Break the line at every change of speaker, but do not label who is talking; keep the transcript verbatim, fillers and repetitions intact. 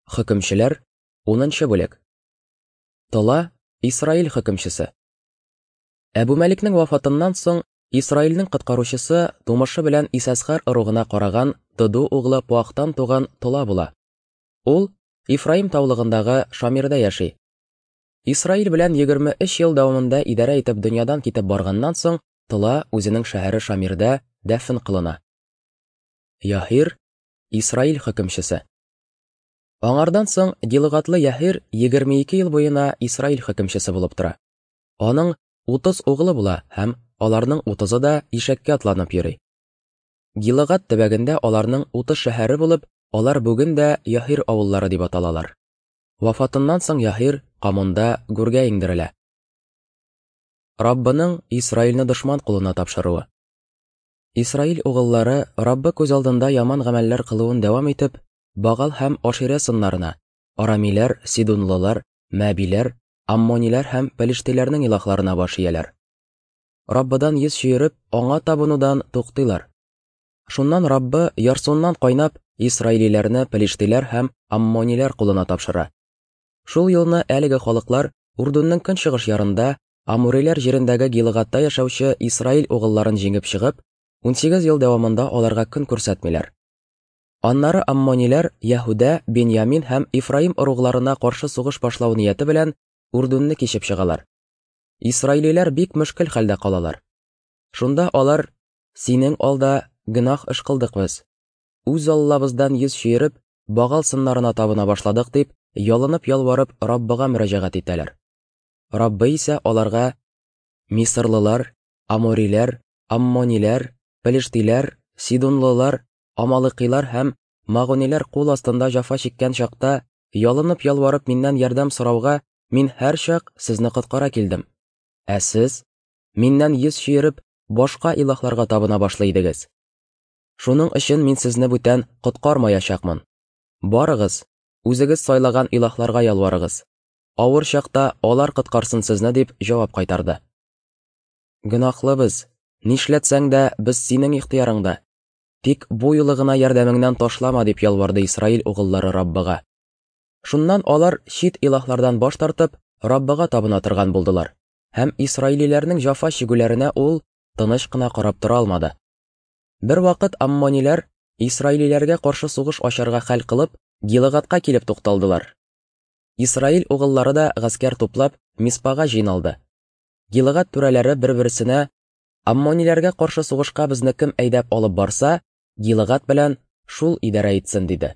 Хөкемчеләр, унынчы бүлек. Тола, Исраил хөкемчесе. Әбүмәликнең вафатыннан соң Исраилнең коткаручысы тумышы белән Исәсхар ыругына караган Дыду углы Пуахтан туган Тола була. Ул Ифраим таулыгындагы Шамирда яши. Исраил белән егерме өч ел дәвамында идарә итеп дөньядан китеп барганнан соң Тола үзенең шәһәре Шамирда дәфен кылына. Яһир, Исраил хөкемчесе. Аңардан соң Гилгатлы Яһир егерме ике ел буена Исраил хөкемчесе булып тора. Аның утыз углы була һәм аларның утызы да ишәккә атланып йөри. Гилгат төбәгендә аларның утыз шәһәре булып, алар бүген дә Яһир авыллары дип аталалар. Вафатыннан соң Яһир Камунда гүргә иңдерелә. Раббының Исраилне дошман кулына тапшыруы. Исраил угыллары Раббы күз алдында яман гамәлләр кылуын дәвам итеп, Багал һәм Аширә сыннарына, арамиләр, сидунлылар, мәбиләр, аммониләр һәм пелештиләрнең илаһларына баш ияләр. Раббыдан йөз чөереп, аңа табынудан туктыйлар. Шуннан Раббы ярсуыннан кайнап, исраилиләрне пелештиләр һәм аммониләр кулына тапшыра. Шул елны әлеге халыклар Урдунның көнчыгыш ярында, амуриләр җирендәге Гилгатта яшәүче Исраил угылларын җиңеп чыгып, унсигез ел дәвамында аларга көн күрсәтмиләр. Аннары аммониләр Яһүдә, Беньямин һәм Ифраим ыругларына каршы сугыш башлау нияте белән Урдунны кичеп чыгалар. Исраилиләр бик мөшкел хәлдә калалар. Шунда алар: "Синең алда гөнаһ эш кылдык без. Үз Аллабыздан йөз чөереп, Багал сыннарына табына башладык", дип, ялынып ялварып Раббыга мөрәҗәгать итәләр. Раббы исә аларга: "Мисырлылар, амориләр, аммониләр, пелештиләр, сидунлылар, амалыкилар һәм магуниләр кул астында җафа чиккән чакта, ялынып ялварып миннән ярдәм сорауга мин һәрчак сезне коткара килдем. Ә сез миннән йөз чөереп, башка илаһларга табына башлый идегез. Шуның өчен мин сезне бүтән коткармаячакмын. Барыгыз, үзегез сайлаган илаһларга ялварыгыз. Авыр чакта алар коткарсын сезне", дип җавап кайтарды. "Гөнаһлы без, нишләтсәң дә без синең ихтыярыңда. Тик бу юлы гына ярдәмеңнән ташлама", дип ялварды Исраил угыллары Раббыга. Шуннан алар чит илаһлардан баш тартып, Раббыга табына торган булдылар. Һәм исраилиләрнең җафа чигүләренә ул тыныч кына карап тора алмады. Бер вакыт аммониләр исраилиләргә каршы сугыш ачарга хәл кылып, Гилгатка килеп тукталдылар. Исраил угыллары да гаскәр туплап, Миспага җыйналды. Гилгат түрәләре бер-берсенә: "Аммониләргә каршы сугышка безне кем әйдәп алып барса, Гилгат белән шул идарә итсен", диде.